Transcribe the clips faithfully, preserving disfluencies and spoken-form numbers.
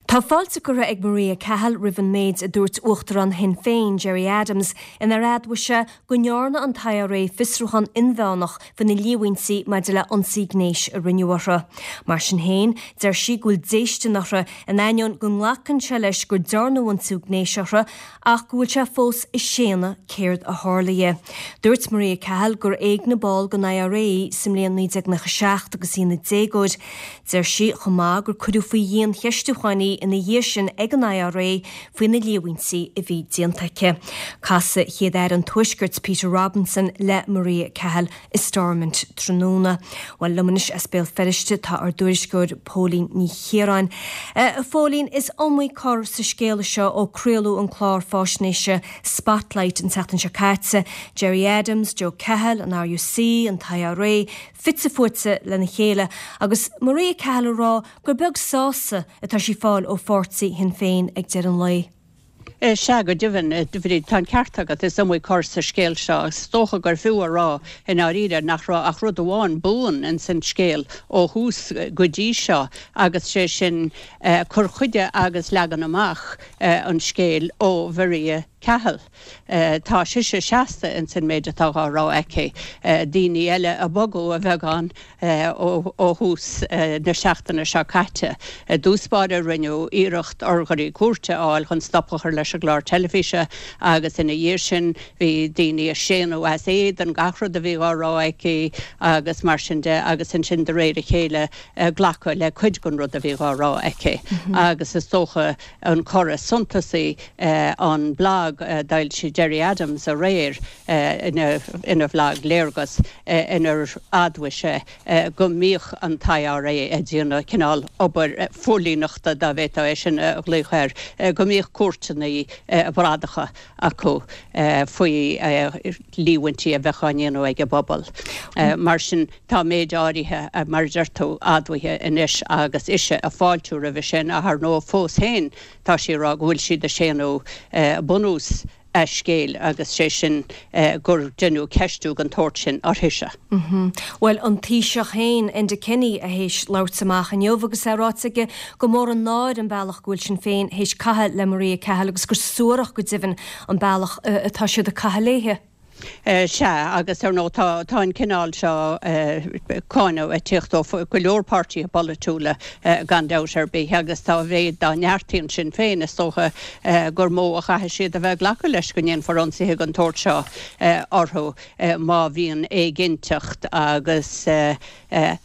Tá fáilte curtha ag Maria Cahill roimh an méid a dúirt Uachtarán Shinn Féin Gerry Adams inar admhaigh sé go ndearna an t-I R A fiosrúchán inmheánach faoi na líomhaintí maidir le ionsaí gnéis a rinneadh orthu. Mar sin féin, deir sí go bhfuil déistin orthu in ainneoin go nglacann sé leis gur dearnadh ionsaí gnéis orthu ach go bhfuil sé fós ag séanadh céard a tharla. Dúirt Maria Cahill gur éignigh ball den I R A sa mbliain naoi déag nócha seacht agus í ina déagóir. Deir sí chomh maith gur cuireadh faoi dhiancheistiúchán í ina dhiaidh sin ag an I R A faoi na líomhaintí a bhí déanta aici. Casfaidh Céad-Aire an Tuaiscirt Peter Robinson le Maria Cahill i Stormont tráthnóna. Well liom anois as Béal Feirste tá ár dtuairisceoir Póilín Ní Chiaráin. Uh, Phóilín, is iomaí cor sa scéal seo ó craoladh an clár faisnéise Spotlight an tseachtain seo caite, Gerry Adams, Joe Cahill, an R U C, an I R A, fite fuaite lena chéile, agus Maria Cahill ag rá gur beag sásamh atá sí ag fáil ó pháirtí Shinn Féin ag deireadh an lae. Sea, go deimhin, tá an ceart agat, is iomaí cor sa scéal seo. Is dócha gur fiú a rá i ndáiríre nach raibh ach rud amháin buan in san scéal ó thús go dtí seo, agus sé sin cur chuige agus leagan amach an scéil ó Mharia Cahill. Tá sise seasta in san méid atá á rá aici. Daoine eile a bogadh a bheagán ó thús na seachtaine seo caite. I dtús báire rinneadh iarracht urghairí cúirte a fháil chun stop a chur leis an gclár teilifíse, agus ina dhiaidh sin bhí daoine ag séanadh as éadan gach rud a bhí á rá aici agus mar sin de, agus ansin de réir a chéile glacadh le cuid den rud a bhí á rá aici. Agus is dócha an cor is suntasaí an blag d'fhoilsigh Gerry Adams aréir ina ina bhlag Léargas, inar admhaigh sé go mbíodh an I R A ag déanamh cineál obair phóilíneachta, dá bhféadfá é sin a ghlaoch air, go mbíodh cuairteanna bradacha acu faoi líomhaintí a bheith á ndéanamh ag an bpobal. Mar sin tá méid áirithe, mar a deir tú, admhaithe anois agus ise ag fáiltiú roimhe sin, ach ar ndóigh fós féin tá sí ag rá go bhfuil siad ag séanadh bunús a scéil, agus sé sin gur deineadh ceistiú den tsórt sin uirthise. Well, an Taoiseach féin, Enda Kenny, a théis labhairt amach inniu agus é ráite aige go mór an náir an bealach go bhfuil Sinn Féin théis caitheamh le Maria Cahill agus gur suarach go deimhin an bealach atá siad ag caitheamh léithe. Sea, agus ar ndóigh tá tá an cineál seo cáineadh ag tíocht ó go leor páirtithe polaitiúla gan dabht ar bith, agus dá mhéad dá neartaíonn Sinn Féin, is dócha gur mó a chaithfidh siad a bheith ag glacadh leis go ndéanfar ionsaithe den tsórt seo orthu má bhíonn éiginnteacht agus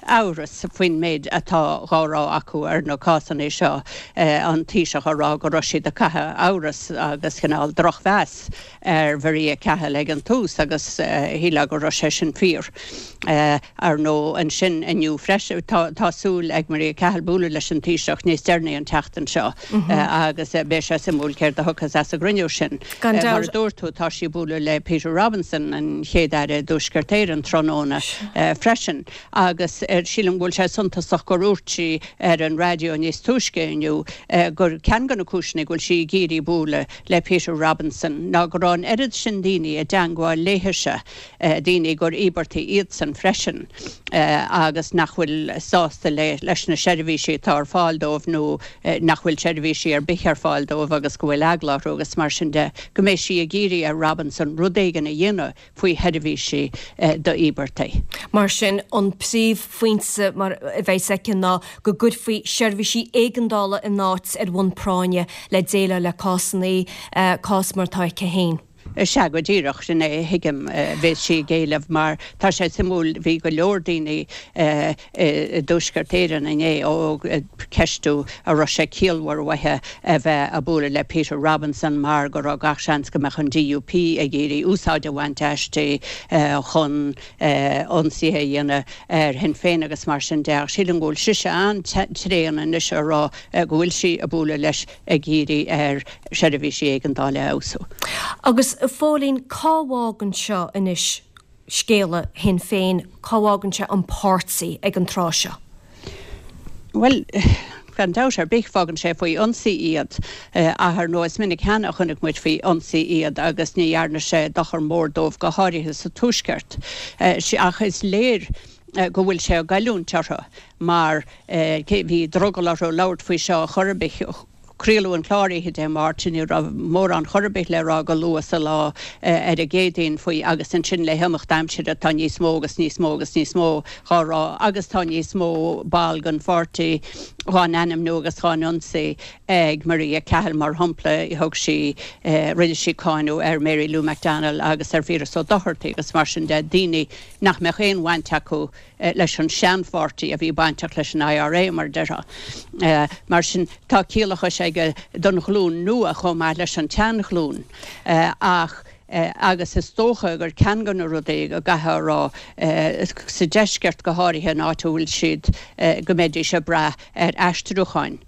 amhras faoin méid atá á rá acu ar na cásanna seo. An Taoiseach ag rá go raibh siad ag caitheamh amhras agus cineál drochmheas ar Mharia Cahill ag an tús, agus shílfeá go raibh sé sin fíor. Ar ndóigh ansin inniu freisin tá súil ag Maria Cahill bualadh leis an Taoiseach níos deireanaí an tseachtain seo, agus beidh sé suimiúil céard a thiocfas as an gcruinniú sin. Mar a dúirt tú, tá sí ag bualadh le Peter Robinson, an chéad aire Tuaisceart Éireann, tráthnóna freisin, agus sílim go bhfuil sé suntasach gur dhúirt sí ar an raidió níos túisce inniu gur ceann de na cúiseanna go bhfuil sí ag iarraidh bualadh le Peter Robinson ná go raibh an oiread sin daoine i dteangmháil léithise, daoine gur íobartaigh iadsan freisin agus nach bhfuil sásta le leis na seirbhísí atá ar fáil dóibh nó nach bhfuil seirbhísí ar bith ar fáil dóibh agus go bhfuil eagla orthu agus mar sin de, go mbeidh sí ag iarraidh ar Robinson rud éigin a dhéanamh faoi sheirbhísí d'íobartaigh. Mar sin an príomhphointe mar a bheidh aici ná go gcuirfí seirbhísí éigeandála in áit ar bhonn práinne le déileáil le cásanna, cás mar atá aici féin. Sea, go díreach, sin é a thuigim bheas sí ag éileamh, mar tá sé suimiúil, bhí go leor daoine i dTuaisceart Éireann inné ag ceistiú an raibh sé ciallmhar uaithi a bheith ag bualadh le Peter Robinson mar go raibh gach seans go mbeadh an D U P ag iarraidh úsáid a bhaint aisti chun ionsaithe a dhéanamh ar Shinn Féin agus mar sin de. Ach sílim go bhfuil sise an-tréan anois ag rá go bhfuil sí ag bualadh leis ag iarraidh air seirbhísí éigeandála a fheabhsú. Agus a Phóilín, cá bhfágann seo anois scéala Shinn Féin, cá bhfágann sé an páirtí ag an tráth seo? Well, gan dabht ar bith fágann sé faoi ionsaí iad, ach ar ndóigh is minic cheana a chonaic muid faoi ionsaí iad agus ní dhearna sé dochar mór dóibh, go háirithe sa Tuaisceart. Ach is léir go bhfuil sé ag goilliúint orthu mar bhí drogall orthu labhairt faoi seo chor ar bith. craoladh an clár oíche Dé Máirt, ní raibh mórán chor ar bith le rá go luath sa lá ar an gCéadaoin faoi agus ansin le himeacht aimsire tá níos mó agus níos mó agus níos mó dhá rá agus tá níos mó ball den pháirtí dhá n-ainmniú agus dhá n-ionsaí ag Maria Cahill mar shampla thug sí rinne sí cáineadh ar Mary Lou McDonald agus ar Phiaras Ó Dochartaigh agus mar sin de daoine nach mbeadh aon bhaint acu leis an seanpháirtí a bhí bainteach leis an IRA mar a déarfá. Mar sin tá ciallachas aige don ghlúin nua chomh maith leis an tseanghlúin ach agus is dócha gur ceann de na rudaí go gcaithfeá a rá sa deisceart go háirithe an áit a bhfuil siad go mbeidís ag brath ar aistriúcháin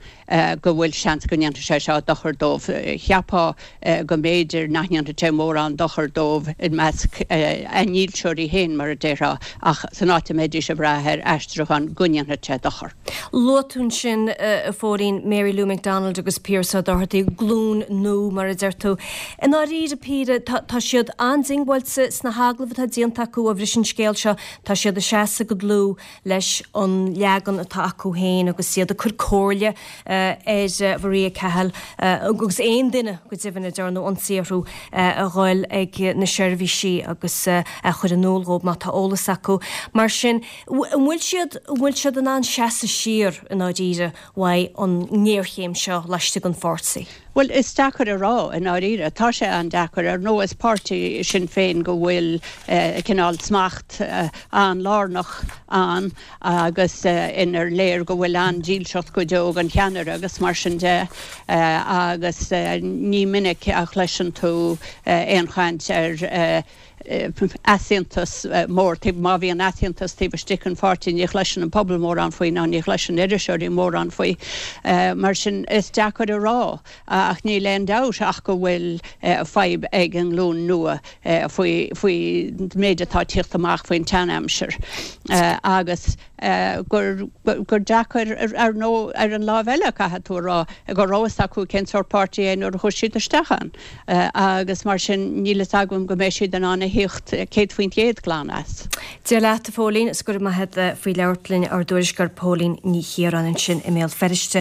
go bhfuil seans go ndéanfaidh sé seo dochar dóibh. Cheapfá go mb'fhéidir nach ndéanfaidh sé mórán dochar dóibh i measc a ndílseoirí féin, mar a déarfá, ach san áit a mbeidís ag brath ar aistriúchán go ndéanfaidh sé dochar. Luaigh tú ansin, a Phóilín, Mary Lou McDonald agus Piaras Ó Dochartaigh, glúin nua, mar a deir tú. I ndáiríre píre, tá siad an-diongbháilte sna hagallaimh atá déanta acu ó bhris an scéal seo, tá siad ag seasamh go dlúth leis an leagan atá acu féin agus iad ag cur comhairle ar Mharia Cahill agus aon duine go deimhin a ndearnadh ionsaí orthu a dhul ag na seirbhísí agus a chur in iúl dhóibh má tá eolas acu. Mar sin, an bhfuil siad, an bhfuil siad in ann seasamh siar i ndáiríre uaidh an ngéarchéim seo laistigh den pháirtí? Bhuel, is deacair a rá i ndáiríre. Tá sé an-deacair. Ar ndóigh, is páirtí Sinn Féin go bhfuil cineál smacht an-lárnach ann agus inar léir go bhfuil an-dílseacht go deo don cheannaire agus mar sin de agus ní minic a chloiseann tú aon chaint ar easaontas mór. Má bhíonn easaontas taobh istigh den pháirtí ní chloiseann an pobal mórán faoi ná ní chloiseann iriseoirí mórán faoi. Mar sin is deacair a rá ach níl aon dabht ach go bhfuil fadhb ag an nglúin nua faoi faoi méid atá ag tíocht amach faoin tseanaimsir agus gur gur deacair ar ndóigh ar an láimh eile caithfidh tú a rá go raibh fhios acu cén sórt páirtí é nuair a chuaigh siad isteach ann agus mar sin níl fhios agam go mbeidh siad in ann a thíocht céad faoin gcéad glan as. Dia leat a Phóilín, is go raibh maith agat faoi labhairt linn ár dtuairisceoir Póilín Ní Chiaráin ansin i mBéal Feirste.